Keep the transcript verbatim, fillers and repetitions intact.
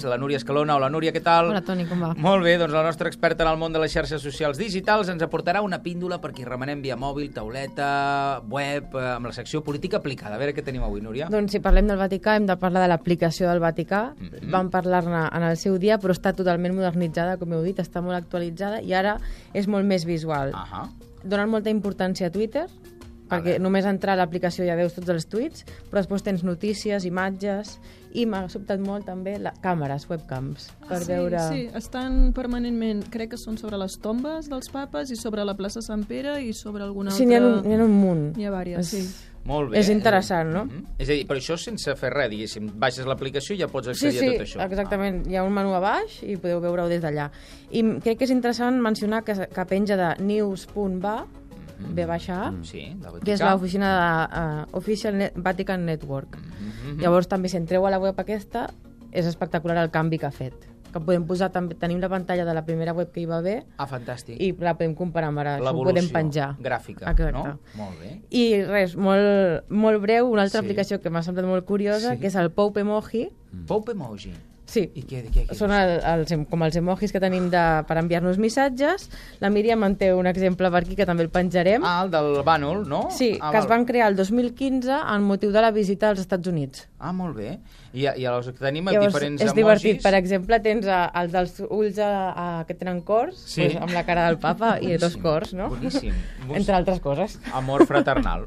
La Núria Escalona. Hola, Núria, què tal? Hola, Toni, com va? Molt bé, doncs la nostra experta en el món de les xarxes socials digitals ens aportarà una píndola per qui remenem via mòbil, tauleta, web, amb la secció política aplicada. A veure què tenim avui, Núria. Doncs si parlem del Vaticà, hem de parlar de l'aplicació del Vaticà. Mm-hmm. Vam parlar-ne en el seu dia, però està totalment modernitzada, com heu dit, està molt actualitzada i ara és molt més visual. Uh-huh. Donen molta importància a Twitter, perquè només entrar a l'aplicació ja veus tots els tuits, però després tens notícies, imatges, i m'ha sobtat molt també la, càmeres, webcams, per sí, veure... Sí, estan permanentment, crec que són sobre les tombes dels papes i sobre la plaça Sant Pere i sobre alguna altra... Sí, n'hi ha un, n'hi ha un munt. N'hi ha vàries, sí. Molt bé. És interessant, no? Mm-hmm. És a dir, però això sense fer res, diguéssim. Baixes l'aplicació i ja pots accedir sí, sí, a tot això. Sí, exactament. Ah. Hi ha un menú a baix i podeu veure-ho des d'allà. I crec que és interessant mencionar que, que penja de news punt va, Mm-hmm. ve baixa A, sí, que és l'oficina de uh, Official Net Vatican Network. Mm-hmm. Llavors també si entreu a la web aquesta és espectacular el canvi que ha fet, que podem posar també, tenim la pantalla de la primera web que hi va haver. Ah, fantàstic. I la podem comparar amb ara, això ho podem penjar. Gràfica, exacte. No? Molt bé. I res, molt, molt breu, una altra sí. aplicació que m'ha semblat molt curiosa, sí. que és el Pope Emoji. Mm. Pope Emoji? Sí, I què, què, què són el, els, com els emojis que tenim de, per enviar-nos missatges. La Míriam en té un exemple per aquí que també el penjarem. Ah, el del bànol, no? Sí, ah, que val. Es van crear el dos mil quinze en motiu de la visita als Estats Units. Ah, molt bé. I, i llavors tenim llavors, diferents és emojis. Divertit. Per exemple, tens a, els dels ulls a, a, que tenen cors, sí. pues, amb la cara del papa i dos cors, no? Boníssim. Entre altres coses. Amor fraternal.